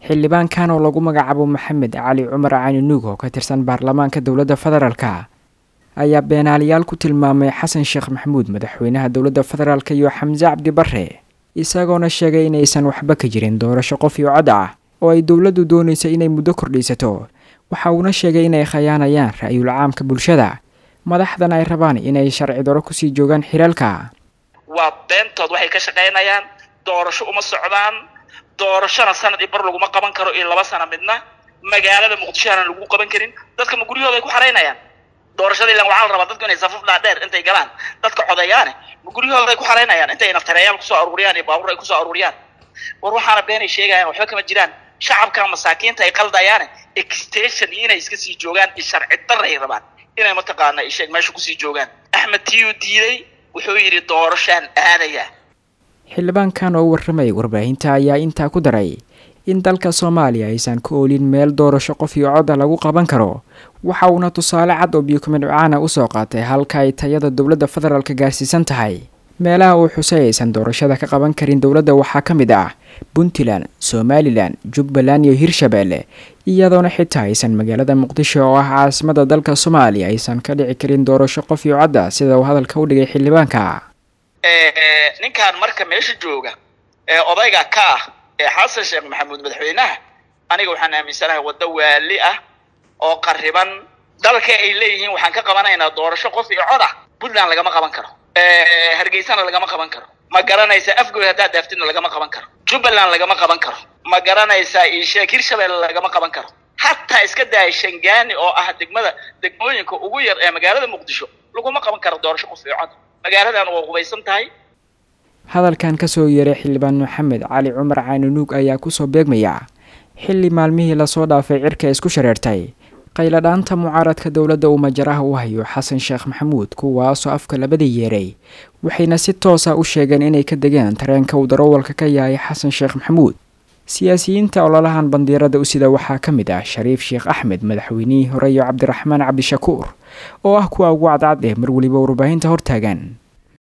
Xildhibaankan oo lagu magacaabo Maxamed Cali Cumar Caninuug oo ka tirsan baarlamaanka dowladda federaalka ayaa beenaalayaal ku tilmaamay Xasan Sheekh Maxamuud, madaxweynaha dowladda federaalka, iyo Xamse Cabdi Barre, isagoona sheegay inaysan waxba ka jirin doorasho qof iyo cod ah oo ay dowladdu doonaysa inay muddo kordhiisato. Waxa uuna sheegay inay khayaanayaan ra-yul caamka bulshada, madaxdan ay rabaan inay sharci daro kusii joogaan xilaalka. Waa beentood, waxay ka shaqaynayaan doorasho uma socdaan. Doorashona sanad i bar laguma qaban karo iyo 2 sano midna. Magaalada Muqdisho aanan lagu qaban karin. Dadka ma guryahooda ay ku xaraynayaan doorashada? Ilan waxaa la rabaa dadku inay safaf dhaadheer intay galaan dadka codeeyaane, ma guryahooda ay ku xaraynayaan intay naftareeyaal kusoo aruuriyaan iyo baabuur ay kusoo aruuriyaan? War waxaana beenay sheegayaan, waxba kama jiraan. Shacabka masaakiinta ay qaldayaane, extension iyo inay iska sii joogaan iyo sharci darra ay rabaan inay mataqaana isheeg meesha kusii joogaan. Axmed tiyuu diiday, wuxuu yidhi doorashaan aadaya. Xildhibaankan oo u warramayay warbaahinta ayaa intaa ku daray in dalka Soomaaliya aysan ku oolin meel doorasho qof iyo codda lagu qaban karo. Waxa uuna tusaale cad oo biyokumidhcaana usoo qaatay halka ay tayada dowladda federaalka gaarsiisan tahay. Meelaha uu xusay aysan doorashada ka qaban karin dowladda waxaa ka mid ah Puntland, Somalilan, Jubbaland iyo Hirshabeelle, iyadoona xitaa aysan magaalada Muqdisho oo ah caasimada dalka Soomaaliya aysan ka dhici karin doorasho qof iyo codda, sida uu hadalka u dhigay xildhibaanka. Ninkan marka meesha jooga ee odayga ka ah ee Xasan Sheekh Maxamuud madaxweynaha, aniga waxaan aaminsanahay waddo waali ah oo qariban dalka ay leeyihiin waxaan ka qabanaynaa doorasho qof iyo cod ah. Puntland lagama qaban karo, Hargeysana lagama qaban karo, ma garanaysaa? Afgoy haddaad dhaaftidna lagama qaban karo, Jubbaland lagama qaban karo, ma garanaysaa? Isheeg Hirshabelle lagama qaban karo. Hataa iska daaya Shangaani oo ah degmada degmooyinka ugu yar ee magaalada Muqdisho, laguma qaban karo doorasho qof iyo cod. Magaaladan waa qubaysan tahay. Hadalkan kasoo yeeray xildhibaan Maxamed Cali Cumar Caaninuug ayaa kusoo beegmaya xilli maalmihii lasoo dhaafay cirka isku shareertay qayladhaanta mucaaradka dowladda uu majaraha u hayo Xasan Sheekh Maxamuud, kuwaasoo afka labada yeeray, waxayna si toosa u sheegeen inay ka degeen tareenka uu darawalka ka yahay Xasan Sheekh Maxamuud. Siyaasiyiinta ololahan bandiirada u sida waxaa ka mid ah Shariif Sheekh Axmed, madaxweynihii hore, iyo Cabdiraxmaan Cabdishakuur oo ah kuwa ugu cadcad ee mar weliba warbaahinta hortaagan.